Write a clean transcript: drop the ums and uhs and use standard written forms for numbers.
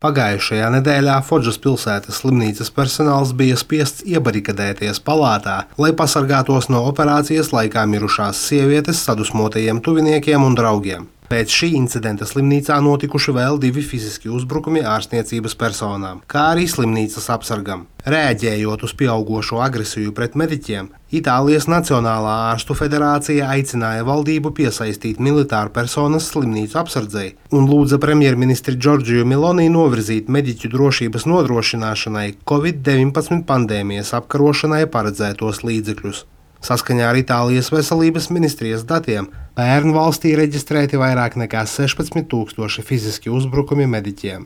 Pagājušajā nedēļā Fodžas pilsētas slimnīcas personāls bija spiests iebarikadēties palātā, lai pasargātos no operācijas laikā mirušās sievietes sadusmotajiem tuviniekiem un draugiem. Pēc šī incidenta slimnīcā notikuši vēl 2 fiziski uzbrukumi ārstniecības personām, kā arī slimnīcas apsargam. Rēģējot uz pieaugošo agresiju pret mediķiem, Itālijas Nacionālā ārstu federācija aicināja valdību piesaistīt militāru personas slimnīcu apsardzei un lūdza premjerministri Džordžiju Meloni novirzīt mediķu drošības nodrošināšanai Covid-19 pandēmijas apkarošanai paredzētos līdzekļus. Saskaņā ar Itālijas veselības ministrijas datiem pērn valstī reģistrēti vairāk nekā 16 000 fiziski uzbrukumi mediķiem.